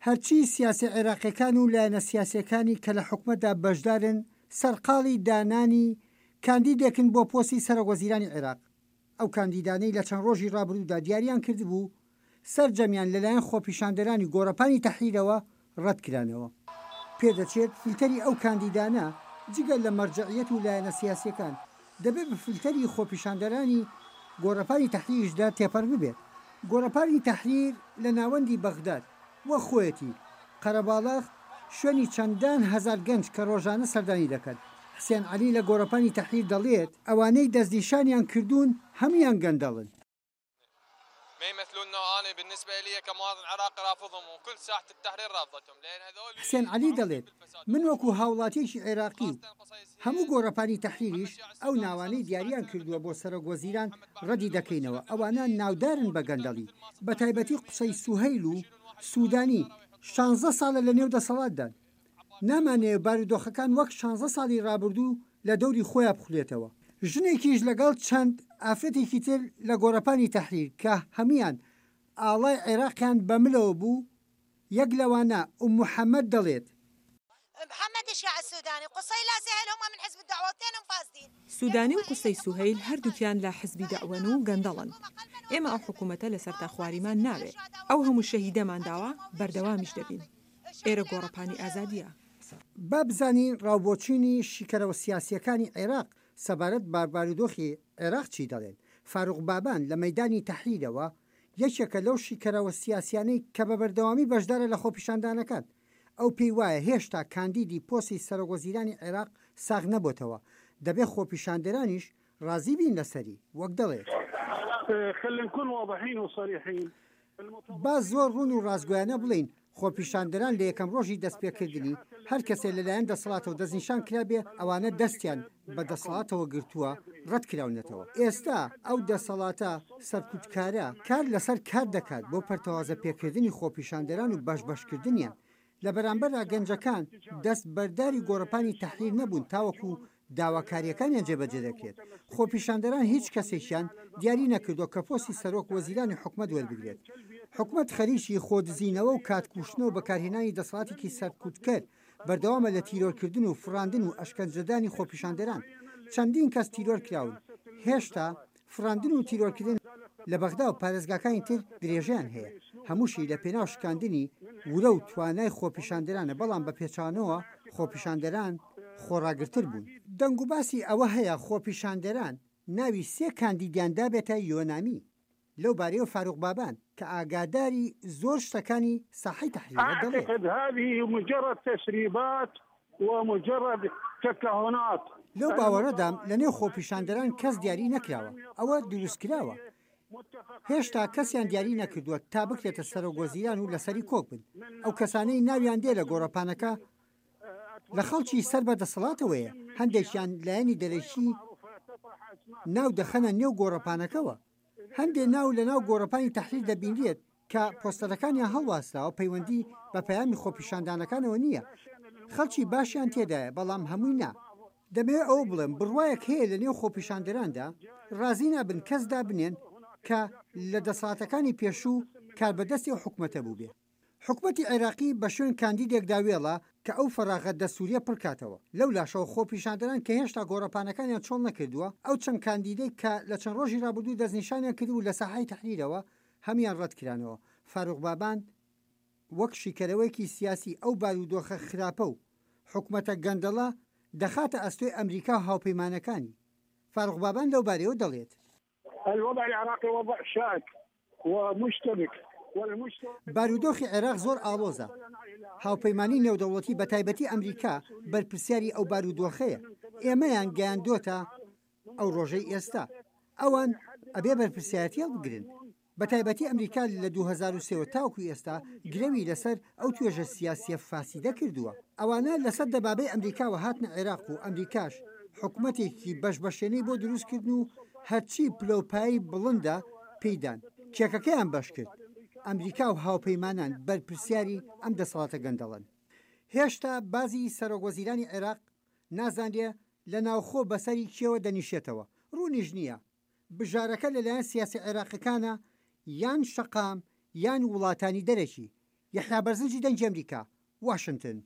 هەرچی سیاسیە عێراقیەکان و لایەنە سیاسیەکانی کە لە حکومەتدا بەشدارن سەرقاڵی دانانی کاندیدێکن بۆ پۆستی سەرۆک وەزیرانی عێراق، ئەو کاندیدانەی لە چەند ڕۆژی ڕابردوودا دیاریان کردبوو سەرجەمیان لەلایەن خۆپیشاندەرانی گۆڕەپانی تەحریرەوە ڕەتکرانەوە. پێدەچێت فلتەری ئەو کاندیدانە جگە لە مەرجەعیەت و لایەنە سیاسیەکان، دەبێت بە فلتەری خۆپیشاندەرانی گۆڕەپانی تەحریریشدا تێپەڕ ببێت. گۆڕەپانی تەحریر لە ناوەندی بەغداد وەک خۆیەتی، قەرەباڵغ، شوێنی چەندان هەزار گەنج کە ڕۆژانە سەردانی دەکەن. حسێن عەلی لە گۆڕەپانی تەحریر دەڵێت، ئەوانەی دەستنیشانیان کردوون هەموویان گەندەڵن. حسێن عەلی دەڵێت، من وەکو هاوڵاتیەکی عێراقی و هەموو گۆڕەپانی تەحریریش ئەو ناوانەی دیاریان کردووە بۆ سەرۆک وەزیران ڕەدی دەکەینەوە، ئەوانە ناودارن بە گەندەڵی، بەتایبەتی قوسەی سوهەیل و سودانی شانزە ساڵە لەنێو دەسەڵاتدان. نامانەوێ بارودۆخەکان وەک شانزە ساڵی ڕابردوو لە دەوری خۆیا بخولێتەوە. ژنێکیش لەگەڵ چەند ئافرەتێکی تر لە گۆڕەپانی تەحریر کە هەموویان ئاڵای عێراقیان بە ملەوە بوو، یەک لەوانە ئوم محەمەد دەڵێت. سودانی و قوسەی سوهەیل هەردووکیان لە حزبی دەعوەن و گەندەڵن. ئێمە ئەو حکوومەتە لەسەر تاخواریمان ناوێ. ئەو هەموو شەهیدەمان داوە، بەردەوامیش دەبین. ئێرە گۆڕەپانی ئازادییە. با بزانین ڕاوبۆچوونی شیکەرەوە سیاسییەکانی عێراق سەبارەت بە بارودۆخی عێراق چی دەڵێن. فاروق بابان لە مەیدانی تەحریرەوە یەکێکە لەو شیکەرەوە سیاسیانەی کە بە بەردەوامی بەشدارە لە خۆپیشاندانەکان. ئەو پێی وایە هێشتا کاندیدی پۆستی سەرۆکوەزیرانی عێراق ساغ نەبۆتەوە، دەبێ خۆپیشاندەرانیش ڕازی بین لەسەری، وەک دەڵێت. با زۆر ڕوون و ڕاستگۆیانە بڵێین، خۆپیشاندەران لە یەکەم ڕۆژی دەستپێکردنی، هەر کەسێ لەلایەن دەسەڵاتەوە دەستنیشان کرابێ، ئەوانە دەستیان بە دەسەڵاتەوە گرتووە، ڕەتکراونەتەوە. ئێستا ئەو دەسەڵاتە سەرکوتکارە کار لەسەر کار دەکات بۆ پەرتەوازە پێکردنی خۆپیشاندەران و بەش بەشکردنیان. لە بەرامبەردا گەنجەکان دەست بەرداری گۆڕەپانی تەحریر نەبوون تاوەکو داواکارییەکانیان جێبەجێ دەکرێت. خۆپیشاندەران هیچ کەسێکیان دیاری نەکردووە کە پۆستی سەرۆک وەزیرانی حکومەت وەربگرێت. حکومەت خەریکی خۆدزینەوە و کات کوشتنە و بەکارهێنانی دەسەڵاتێکی سەرکوتکەر بەردەوامە لە تیرۆرکردن و فڕاندن و ئەشکەنجەدانی خۆپیشاندەران. چەندین کەس تیرۆرکراون. هێشتا فڕاندن و تیرۆرکردن لە بەغدا و پارێزگاکانی تر درێژەیان هەیە، هەمووشی لە پێناو شکاندنی ورە و توانای خۆپیشاندەرانە، بەڵام بە پێچەوانەوە خۆپیشاندەران خۆڕاگرتر بوون. دەنگوباسی ئەوە هەیە خۆپیشاندەران ناوی سێ کاندیدیان دابێتە یۆنامی، لەو بارەیەوە فاروق بابان کە ئاگاداری زۆر شتەکانی ساحەی تەحریرە دەڵێت. اعتقد هذه مجرد تسريبات ومجرد تكهنات. لەو باوەڕەدام لەنێو خۆپیشاندەران کەس دیاری نەکراوە، ئەوە دروستکراوە، هێشتا کەسیان دیاری نەکردووە تا بکرێتە سەرۆک وەزیران و لەسەری کۆک بن، ئەو کەسانەی ناویان دێ لە گۆڕەپانەکە لە خەڵکی سەر بە دەسەڵاتەوەیە، هەندێکیان لایەنی دەرەکی ناو دەخەنە نێو گۆڕەپانەکەوە. هەندێ ناو لەناو گۆڕەپانی تەحریر دەبینرێت کە پۆستەرەکانیان هەڵواسراوە پەیوەندی بە پەیامی خۆپیشاندانەکانەوە نییە، خەڵکی باشیان تێدایە بەڵام هەمووی نا. دەمەوێت ئەوە بڵێم بڕوایەک هەیە لەنێو خۆپیشاندەراندا ڕازی نابن کەس دابنێن کە لە دەسەڵاتەکانی پێشوو کاربەدەستی ئەو حکومەتە بووبێ. حکومەتی عێراقی بە شوێن کاندیدێکدا وێڵە کە ئەو فەراغە دەستوریە پڕکاتەوە، لەولاشەوە خۆپیشاندەران کە هێشتا گۆڕەپانەکانیان چۆڵ نەکردووە، ئەو چەند کاندیدەی کە لە چەند ڕۆژی ڕابردوو دەستنیشانیان کردبوو لە ساحەی تەحریرەوە هەموویان ڕەتکرانەوە. فاروق بابان وەک شیکەرەوەیەکی سیاسی ئەو بارودۆخە خراپە و حکومەتە گەندەڵە دەخاتە ئەستۆی ئەمریکا و هاوپەیمانەکانی. فاروق بابان لەوبارەیەوە دەڵێت. الوضع العراقی وضع شائک ومشتبک والمشتبک. بارودۆخی عێراق زۆر ئاڵۆزە، هاوپەیمانی نێودەوڵەتی بەتایبەتی ئەمریکا بەرپرسیاری ئەو بارودۆخەیە، ئێمەیان گەیاندۆتە ئەو ڕۆژەی ئێستا، ئەوان ئەبێ بەرپرسیارەتی هەڵبگرن. بەتایبەتی ئەمریکا لە 2003 وە تاوەکو ئێستا گرەوی لەسەر ئەو توێژە سیاسیە فاسیدە کردووە. ئەوانە لەسەر دەبابەی ئەمریکاوە هاتنە عێراق و ئەمریکاش حکومەتێکی بەش بەشێنەی بۆ دروست کردن و هەرچی پلەوپایەی بڵندە پێی دان. کێکەکەیان بەش کرد. ئەمریکا و هاوپەیمانان بەرپرسیاری ئەم دەسەڵاتە گەندەڵەن. هێشتا بازی سەرۆک وەزیرانی عێراق نازانرێ لە ناوخۆ بەسەری کێوە دەنیشێتەوە. ڕوونیش نییە بژارەکە لەلایەن سیاسە عێراقیەکانە یان شەقام یان وڵاتانی دەرەکی. یەحیا بەرزنجی دەنگی ئەمریکا، واشنتن.